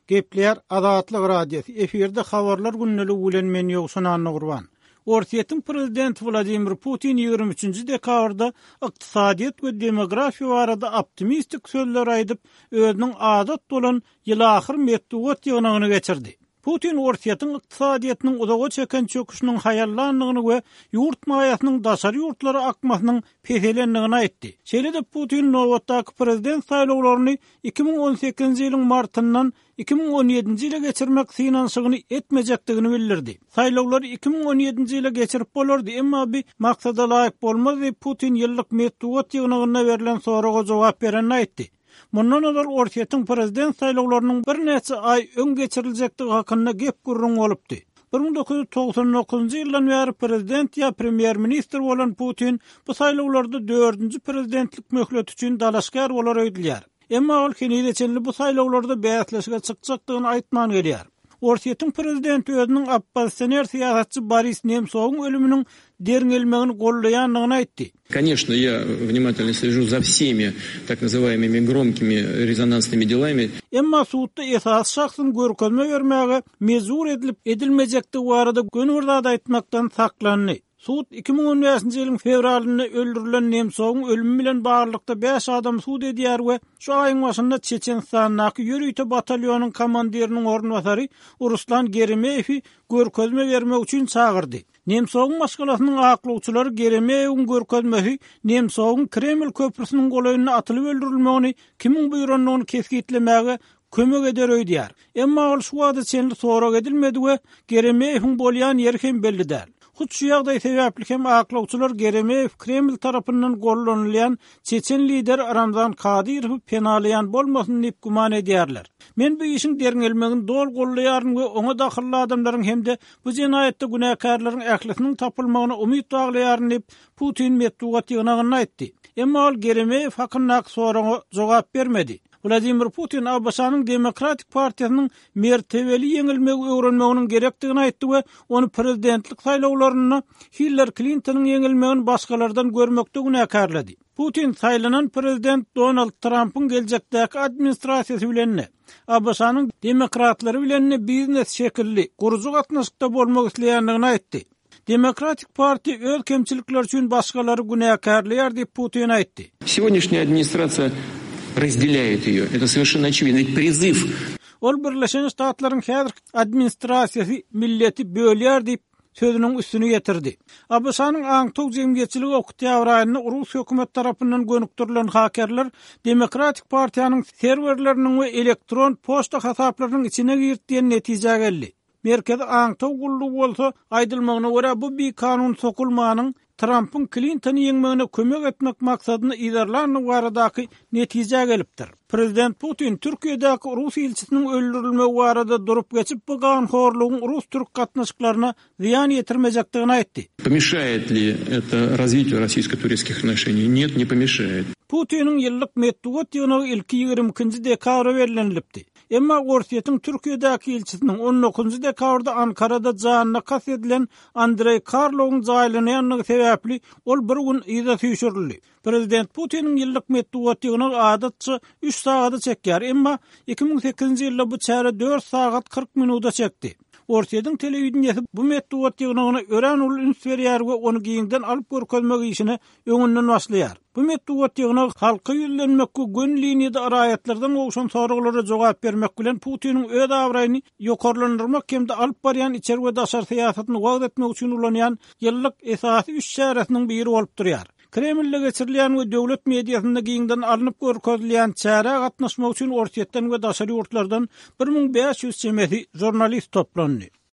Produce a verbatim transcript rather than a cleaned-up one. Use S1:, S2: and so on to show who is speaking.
S1: Gepleýär Azatlyk Radiosy. Efirde habarlar gündeligi bilen men Ýowşan Annagurban. Orsýetiň prezidenti Wladimir Putin ýigrimi üçünji dekabrda ykdysadyýet we demografiýa barada optimistik sözler aýdyp, özüniň adat bolan ýylahyr metbugat ýygnagyny geçirdi. Putin Orsýetiň ykdysadyýetiniň uzaga çeken çöküşiniň haýallandygyny we ýurt maýasynyň daşary ýurtlara akmasynyň peselendigini aýtdy. Şeýle-de Putin nobatdaky prezident saýlawlaryny iki müň on sekizinji ýylyň martyndan iki müň on ýedinji ýyla geçirmek synanyşygyny etmejekdigini bildirdi. Saýlawlary iki müň on ýedinji ýyla geçirip bolardy, emma bu maksada laýyk bolmaz diýip, Putin ýyllyk metbugat ýygnagynda berlen soraga jogap berenini aýtdy. Mundan ozal Orsýetiň prezident saýlawlarynyň birnäçe aý öň geçiriljekdigi hakynda gep gürrüň bolupdy. Bir müň dokuz ýüz togsan dokuzynjy ýyldan bäri prezident ýa premýer-ministr bolan Putin bu saýlawlarda dördünji prezidentlik möhleti üçin dalaşgär bolar öýdülýär. Emma ol henize çenli bu saýlawlarda bäsleşige çykjakdygyny aýtman gelýär. Orsýetiň prezidenti özüniň oppozisioner syýasatçy Boris Nemsowyň ölüminiň derňelmegini gollaýandygyny aýtdy.
S2: Конечно, я внимательно слежу за всеми так называемыми громкими резонансными делами.
S1: Emma sudda esasy şahsyň görkezme bermäge mejbur edilip edilmejekdigi barada göni bir zat aýtmakdan saklandy. Sud iki müň on bäşinji ýylyň fewralynda öldürilen Nemsowyň ölümi bilen baglylykda bäş adam sud edýär we şu aýyň başynda Çeçenistandaky ýörite batalýonyň komandiriniň orunbasary Ruslan Geremeýewi görkezme bermek üçin çagyrdy. Nemsowyň maşgalasynyň aklawçylary Geremeýewiň görkezmesi Nemsowyň Kreml köprüsiniň golaýynda atylyp öldürilmegini kimiň buýrandygyny kesgitlemäge kömek eder öýdýär. Emma ol şu wagta çenli sorag edilmedi we Geremeýewiň bolýan ýeri hem belli däl. Hut şu ýagdaý sebäpli hem aklawçylar Geremeýew Kreml tarapyndan gollanylýan Çeçen lideri Ramzan Kadyrowy penalaýan bolmasyn diýip güman edýärler. Men bu işiň derňelmegini doly gollaýaryn we oňa dahylly adamlaryň hem-de bu jenaýatda günäkärleriň ählisiniň tapylmagyna umyt baglaýaryn diýip Putin metbugat ýygnagynda aýtdy. Emma ol Geremeýew hakyndaky soraga jogap bermedi. Wladimir Putin A B Ş-nyň Demokratik partiýasynyň mertebeli ýeňilmegi öwrenmeginiň gerekdigini aýtdy we ony prezidentlik saýlawlarynda Hillary Klintonyň ýeňilmegini başgalardan görmekde günäkärledi. Putin saýlanan prezident Donald Trumpyň geljekdäki administrasiýasy bilen A B Ş-nyň demokratlary bilen biznes şekilli gurujy gatnaşykda bolmak isleýändigini aýtdy. Demokratik partiýa öz kemçilikleri üçin başgalary günäkärleýär diýip Putin aýtdy.
S2: Сегодняшняя администрация разделяет ее. Это совершенно очевидно. Ведь призыв.
S1: Ol Birleşen Ştatlaryň häzirki administrasiýasy milleti bölýär diýip sözüniň üstüni getirdi. A B Ş-nyň aňtaw jemgyýetçiligi oktyabr aýynda Rus hökümet tarapyndan gönükdirilen hakerler Demokratik partiýanyň serwerleriniň we elektron poçta hasaplarynyň içine girdi diýen netijä geldi. Merkezi aňtaw gullugy bolsa aýdylmagyna görä bu bir kanun sokulmanyň Trumpyň Klintony ýeňmegine kömek etmek maksadyny yzarlandygy baradaky netijä gelipdir. Prezident Putin Türkiýedäki Rus ilçisiniň öldürilmegi barada durup geçip bu ganhorlugyň Rus-Türk gatnaşyklaryna zyýan ýetirmejekdigini aýtdy.
S2: Помешает ли это развитию российско-турецких отношений? Нет, не помешает.
S1: Putiniň ýyllyk metbugat ýygnagy ilki ýigrimi ikinji dekabra bellenilipdi. Emma Orsýetiň Türkiýedäki ilçisiniň on dokuzynjy dekabrda Ankarada janyna kast edilen Andrei Karlowyň jaýlanýandygy sebäpli ol bir gün yza süýşürildi. Prezident Putiniň ýyllyk metbugat ýygnagy adatça üç sagada çekýär, emma iki müň sekizinji ýylda bu çäre dört sagat kyrk minuta çekdi. Orsýetiň telewideniýesi bu metbugat ýygnagyna örän uly üns berýär we ony giňden alyp görkezmek işine öňünden başlaýar. Bu metbugat ýygnagy halka ýüzlenmek we gün liniýada raýatlardan gowşan soraglara jogap bermek bilen Putiniň öz abraýyny ýokarlandyrmak hem-de alyp barýan içeri we daşary syýasatyny wagt etmek üçin ulanýan ýyllyk esasy üç çäresiniň biri bolup durýar. Kremlde geçirilýän we döwlet mediasynda giňden alnyp görkezilýän çärä gatnaşmak üçin Orsýetden we daşary ýurtlardan bir müň bäş ýüz çemesi jurnalist toplandy.